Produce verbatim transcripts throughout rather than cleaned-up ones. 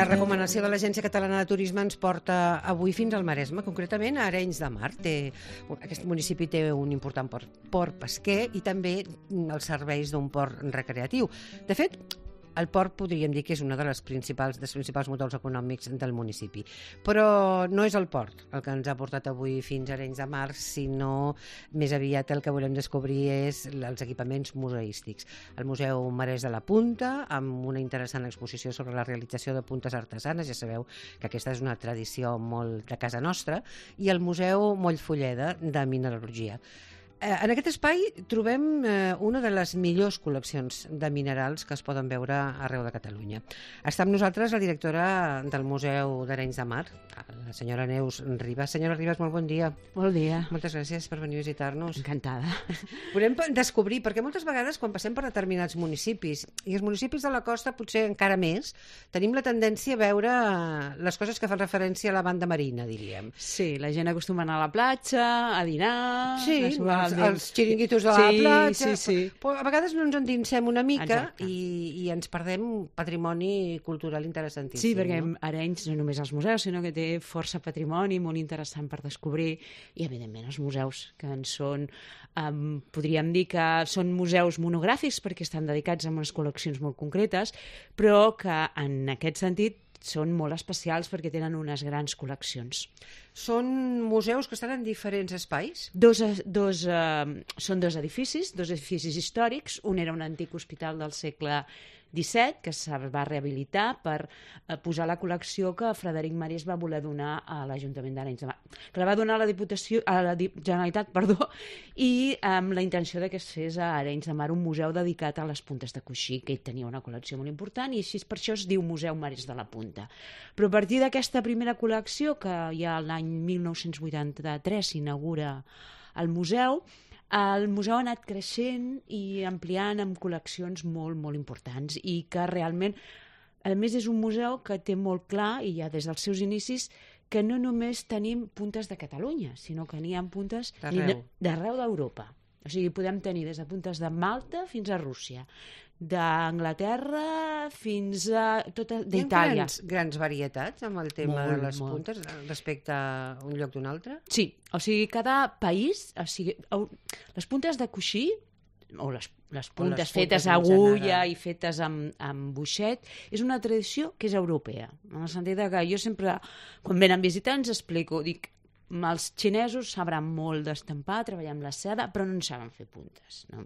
La recomanació de l'Agència Catalana de Turisme ens porta avui fins al Maresme, concretament a Arenys de Mar. Té, aquest municipi té un important port, port pesquer i també els serveis d'un port recreatiu. De fet, el port podríem dir que és una de les principals, dels principals motors econòmics del municipi. Però no és el port el que ens ha portat avui fins a Arenys de Mar, sinó més aviat el que volem descobrir és els equipaments museístics. El Museu Marès de la Punta, amb una interessant exposició sobre la realització de puntes artesanes, ja sabeu que aquesta és una tradició molt de casa nostra, i el Museu Mollfolleda de Mineralogia. En aquest espai trobem una de les millors col·leccions de minerals que es poden veure arreu de Catalunya. Està amb nosaltres la directora del Museu d'Arenys de Mar, la senyora Neus Ribas. Senyora Ribas, molt bon dia. Bon dia. Moltes gràcies per venir a visitar-nos. Encantada. Podem descobrir, perquè moltes vegades quan passem per determinats municipis, i els municipis de la costa potser encara més, tenim la tendència a veure les coses que fan referència a la banda marina, diríem. Sí, la gent acostuma a anar a la platja, a dinar... Sí, a els, els xiringuitos de la sí, platja, sí, sí. Però a vegades no ens endinsem una mica Exacte. i, i ens perdem patrimoni cultural interessantíssim. Sí, perquè no? Arenys no només els museus, sinó que té força patrimoni molt interessant per descobrir, i evidentment els museus, que en són, um, podríem dir que són museus monogràfics perquè estan dedicats a unes col·leccions molt concretes, però que en aquest sentit són molt especials perquè tenen unes grans col·leccions. Són museus que estan en diferents espais? Dos, dos, eh, són dos edificis, dos edificis històrics. Un era un antic hospital del segle disset, que es va rehabilitar per eh, posar la col·lecció que Frederic Marès va voler donar a l'Ajuntament d'Arenys de Mar. Que la va donar a la, Diputació, a la Generalitat, perdó, i amb la intenció de que es fes a Arenys de Mar un museu dedicat a les puntes de coixí, que ell tenia una col·lecció molt important, i així per això es diu Museu Marès de la Punta. Però a partir d'aquesta primera col·lecció, que ja l'any mil nou-cents vuitanta-tres s'inaugura el museu, el museu ha anat creixent i ampliant amb col·leccions molt, molt importants i que realment, a més, és un museu que té molt clar, i ja des dels seus inicis, que no només tenim puntes de Catalunya, sinó que n'hi ha puntes d'arreu d'Europa. O sigui, podem tenir des de puntes de Malta fins a Rússia, d'Anglaterra fins a tota d'Itàlia. Grans, grans varietats amb el tema molt, de les molt. puntes respecte a un lloc d'un altre? Sí, o sigui, cada país, o sigui, les puntes de coixí, o les, les puntes les fetes puntes a en agulla general. i fetes amb, amb buixet, és una tradició que és europea, en el sentit que jo sempre, quan venen visitants, explico, dic, els xinesos sabran molt d'estampar, treballar amb la seda, però no en saben fer puntes. No?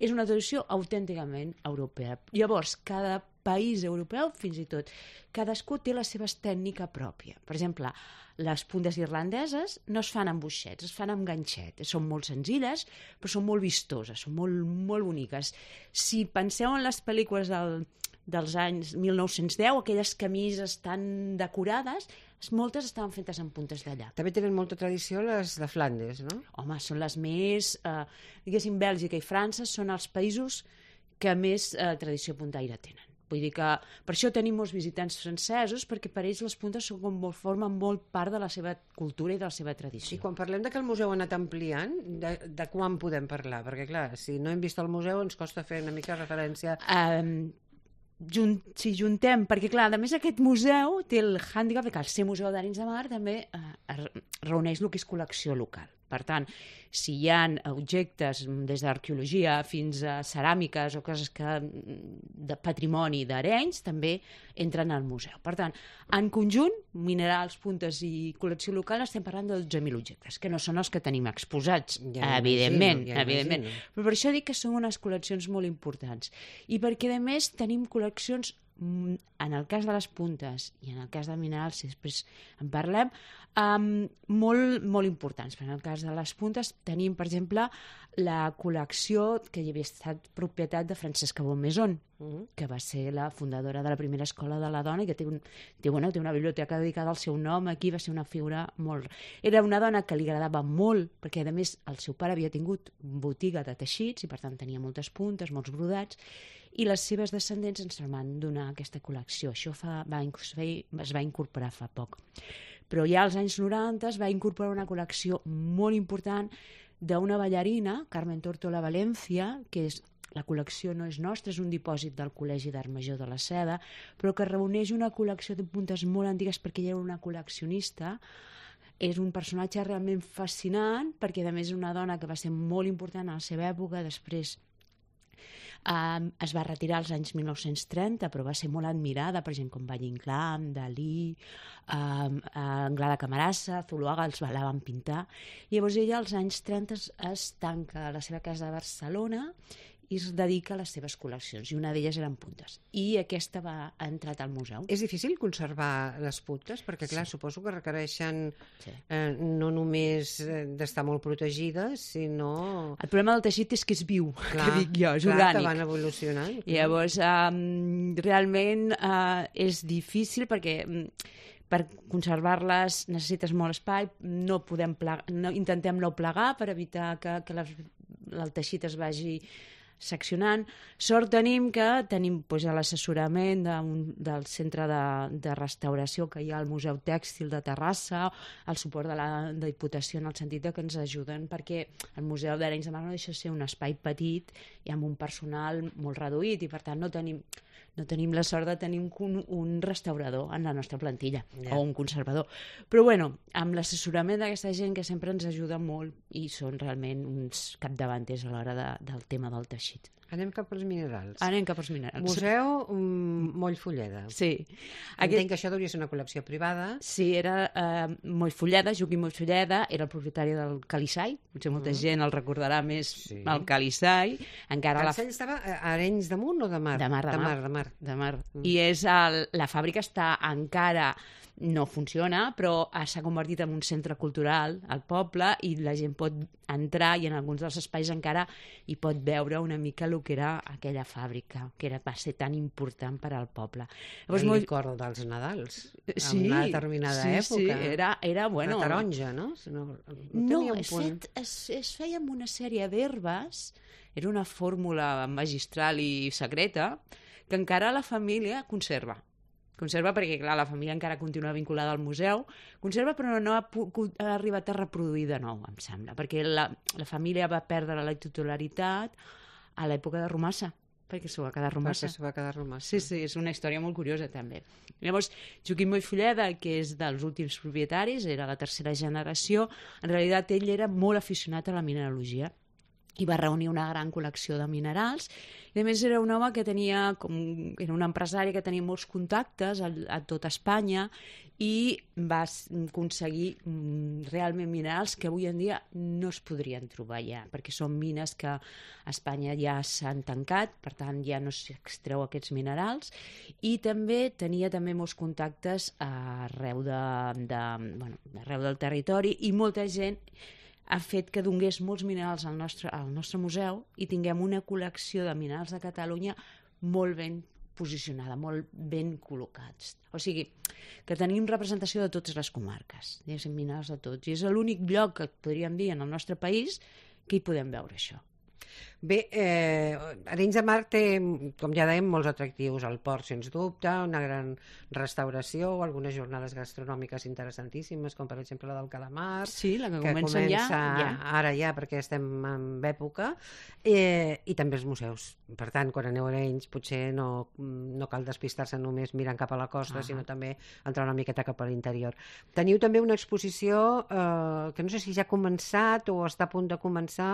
És una tradició autènticament europea. Llavors, cada país europeu, fins i tot, cadascú té la seva tècnica pròpia. Per exemple, les puntes irlandeses no es fan amb buixets, es fan amb ganxet. Són molt senzilles, però són molt vistoses, són molt, molt boniques. Si penseu en les pel·lícules del, dels anys mil nou-cents deu, aquelles camises tan decorades, moltes estaven fetes amb puntes d'allà. També tenen molta tradició les de Flandes, no? Home, són les més... Eh, diguéssim, Bèlgica i França són els països que més eh, tradició puntaire tenen. Vull dir que per això tenim molts visitants francesos, perquè per ells les puntes són com molt, formen molt part de la seva cultura i de la seva tradició. I quan parlem de que el museu ha anat ampliant, de, de quan podem parlar? Perquè, clar, si no hem vist el museu ens costa fer una mica referència... Um, Junt, si juntem, perquè clar, a més aquest museu té el hàndicap que al ser museu d'Arenys de Mar també eh, reuneix el que és col·lecció local. Per tant, si hi ha objectes des d'arqueologia fins a ceràmiques o coses que, de patrimoni d'Arenys, també entren al museu. Per tant, en conjunt, minerals, puntes i col·lecció local, estem parlant de dotze mil objectes, que no són els que tenim exposats, ja evidentment, imagino, ja evidentment. Però per això dic que són unes col·leccions molt importants. I perquè, a més, tenim col·leccions, en el cas de les puntes i en el cas de minerals, si després en parlem, um, molt, molt importants. En el cas de les puntes tenim, per exemple, la col·lecció que hi havia estat propietat de Francesca Bonnemaison, uh-huh. que va ser la fundadora de la primera escola de la dona i que té, un, té, bueno, té una biblioteca dedicada al seu nom. Aquí va ser una figura molt... Era una dona que li agradava molt, perquè a més el seu pare havia tingut botiga de teixits i per tant tenia moltes puntes, molts brodats, i les seves descendents ens van donar aquesta col·lecció. Això fa, va, es va incorporar fa poc. Però ja als anys noranta es va incorporar una col·lecció molt important d'una ballarina, Carmen Tórtola Valencia, que és la col·lecció no és nostra, és un dipòsit del Col·legi d'Art Major de la Seda, però que reuneix una col·lecció de puntes molt antigues perquè ella era una col·leccionista. És un personatge realment fascinant perquè a més és una dona que va ser molt important a la seva època, després Um, es va retirar als anys mil nou-cents trenta, però va ser molt admirada per gent com Valle Inclán, Dalí, um, Anglada Camarasa, Zuluaga, els la van pintar. I llavors ella als anys trenta es, es tanca a la seva casa de Barcelona i es dedica a les seves col·leccions, i una d'elles eren puntes. I aquesta va, ha entrat al museu. És difícil conservar les puntes? Perquè, clar, sí. suposo que requereixen sí. eh, no només d'estar molt protegides, sinó... El problema del teixit és que és viu, clar, que dic jo, és clar, orgànic. Que van evolucionant. I llavors, um, realment uh, és difícil perquè... Um, per conservar-les necessites molt espai, no podem plegar, no, intentem no plegar per evitar que, que les, el teixit es vagi seccionant. Sort tenim que tenim pues, l'assessorament de, del centre de, de restauració que hi ha al Museu Tèxtil de Terrassa, el suport de la Diputació en el sentit de que ens ajuden, perquè el Museu d'Arenys de Mar no deixa de ser un espai petit i amb un personal molt reduït, i per tant no tenim, no tenim la sort de tenir un, un restaurador en la nostra plantilla, yeah. o un conservador. Però bueno, amb l'assessorament d'aquesta gent que sempre ens ajuda molt i són realment uns capdavanters a l'hora de, del tema del teixit. Anem cap als minerals. Anem cap als minerals. Museu um, Mollfolleda. Sí. Entenc Aquest... que això hauria ser una col·lecció privada. Sí, era uh, Mollfolleda, Joaquim Mollfolleda, era el propietari del Calissai, potser molta mm. gent el recordarà més sí. el Calissai. Encara Calissai la... estava a Arenys de Munt o de Mar? De Mar, de, de Mar. mar, de mar. De mar. Mm. I és el, la fàbrica està encara... no funciona, però s'ha convertit en un centre cultural al poble i la gent pot entrar i en alguns dels espais encara hi pot veure una mica el que era aquella fàbrica, que era, va ser tan important per al poble. Llavors, el molt... licor dels Nadals, sí, en una determinada sí, època. Sí, era, era bueno... La taronja, no? No, no es, fet, es, es feia amb una sèrie d'herbes, era una fórmula magistral i secreta, que encara la família conserva. Conserva perquè, clar, la família encara continua vinculada al museu, conserva però no ha, ha arribat a reproduir de nou, em sembla, perquè la, la família va perdre la titularitat a l'època de Romassa, perquè s'ho va quedar Romassa. Perquè s'ho va quedar Romassa. Sí, sí, és una història molt curiosa, també. Llavors, Joaquim Mollfolleda, que és dels últims propietaris, era la tercera generació, en realitat ell era molt aficionat a la mineralogia, i va reunir una gran col·lecció de minerals, i a més era un home que tenia, com, era un empresari que tenia molts contactes a, a tot Espanya i va aconseguir mm, realment minerals que avui en dia no es podrien trobar ja, perquè són mines que a Espanya ja s'han tancat, per tant ja no s'extreu aquests minerals, i també tenia també molts contactes arreu, de, de, bueno, arreu del territori, i molta gent ha fet que donés molts minerals al nostre, al nostre museu i tinguem una col·lecció de minerals de Catalunya molt ben posicionada, molt ben col·locats. O sigui, que tenim representació de totes les comarques, diguéssim, minerals de tots. I és l'únic lloc que podríem dir en el nostre país que hi podem veure això. Bé, eh, Arenys de Mar té, com ja dèiem, molts atractius. El port, sens dubte, una gran restauració, algunes jornades gastronòmiques interessantíssimes, com per exemple la del calamar. Sí, la que, que comença, comença ja, ja. ara ja, perquè estem en època, eh, i també els museus. Per tant, quan aneu a Arenys, potser no, no cal despistar-se només mirant cap a la costa, ah. sinó també entrar una miqueta cap a l'interior. Teniu també una exposició eh, que no sé si ja ha començat o està a punt de començar,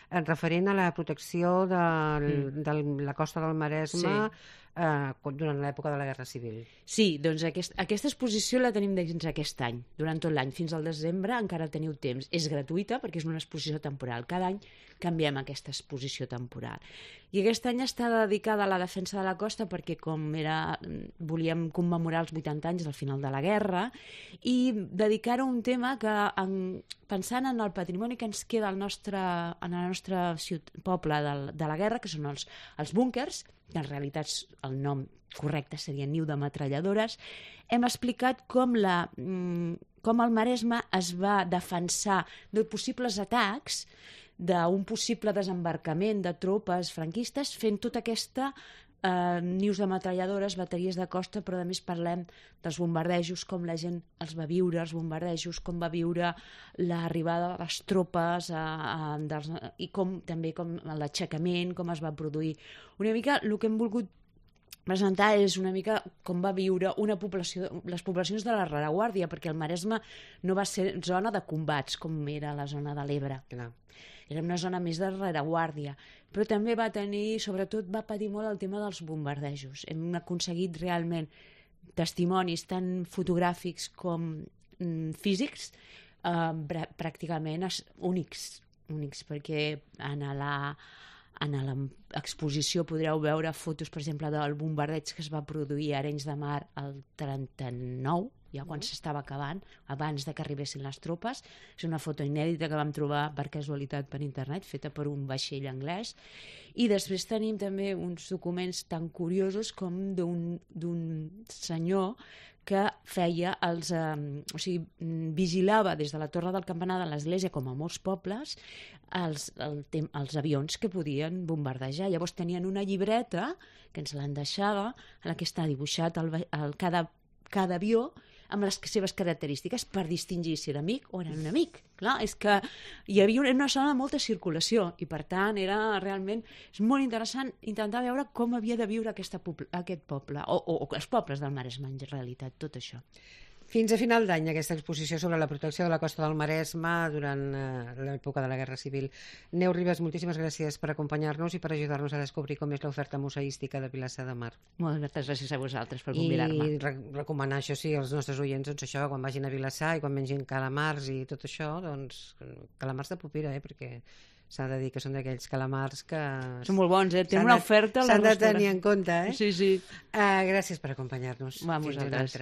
eh, referent a la protecció de, mm. de la costa del Maresme, sí. eh, durant l'època de la Guerra Civil. Sí, doncs aquest, aquesta exposició la tenim dins aquest any, durant tot l'any, fins al desembre encara teniu temps. És gratuïta perquè és una exposició temporal. Cada any canviem aquesta exposició temporal. I aquest any està dedicada a la defensa de la costa perquè com era, volíem commemorar els vuitanta anys del final de la guerra i dedicar-ho a un tema que, en, pensant en el patrimoni que ens queda al nostre, en el nostre ciut, poble de, de la guerra, que són els, els búnkers, que en realitat el nom correcte seria niu de metralladores, hem explicat com, la, com el Maresme es va defensar de possibles atacs, d'un possible desembarcament de tropes franquistes, fent tota aquesta eh, nius de metralladores, bateries de costa, però a més parlem dels bombardejos, com la gent els va viure, els bombardejos, com va viure l'arribada de les tropes a, a, dels, i com també com l'aixecament, com es va produir. Una mica el que hem volgut presentar és una mica com va viure una població, les poblacions de la rereguàrdia, perquè el Maresme no va ser zona de combats com era la zona de l'Ebre. Clar. Era una zona més de rereguàrdia, però també va tenir, sobretot va patir molt el tema dels bombardejos. Hem aconseguit realment testimonis tant fotogràfics com mm, físics eh, pràcticament únics, únics, perquè en la en l'exposició podreu veure fotos, per exemple, del bombardeig que es va produir a Arenys de Mar el trenta-nou, ja quan s'estava acabant, abans de que arribessin les tropes. És una foto inèdita que vam trobar per casualitat per internet, feta per un vaixell anglès. I després tenim també uns documents tan curiosos com d'un senyor que feia els... Eh, o sigui, vigilava des de la torre del campanar de l'església, com a molts pobles, els, el, els avions que podien bombardejar. Llavors tenien una llibreta, que ens l'han deixada, en la que està dibuixat el, el, cada, cada avió amb les seves característiques per distingir si era amic o era un amic. Clar, és que hi havia una zona de molta circulació i, per tant, era realment... És molt interessant intentar veure com havia de viure aquesta, aquest poble, o, o, o els pobles del Maresme, en realitat, tot això. Fins a final d'any, aquesta exposició sobre la protecció de la costa del Maresme durant eh, l'època de la Guerra Civil. Neus Ribas, moltíssimes gràcies per acompanyar-nos i per ajudar-nos a descobrir com és l'oferta museística de Vilassar de Mar. Moltes gràcies a vosaltres per convidar-me. I re recomanar això, sí, als nostres oients, doncs això, quan vagin a Vilassar i quan mengin calamars i tot això, doncs calamars de Popira, eh, perquè s'ha de dir que són d'aquells calamars que... Són molt bons, eh? Tenen una oferta... S'han de tenir en compte, eh? Sí, sí. Uh, gràcies per acompanyar-nos. Va, a vosaltres.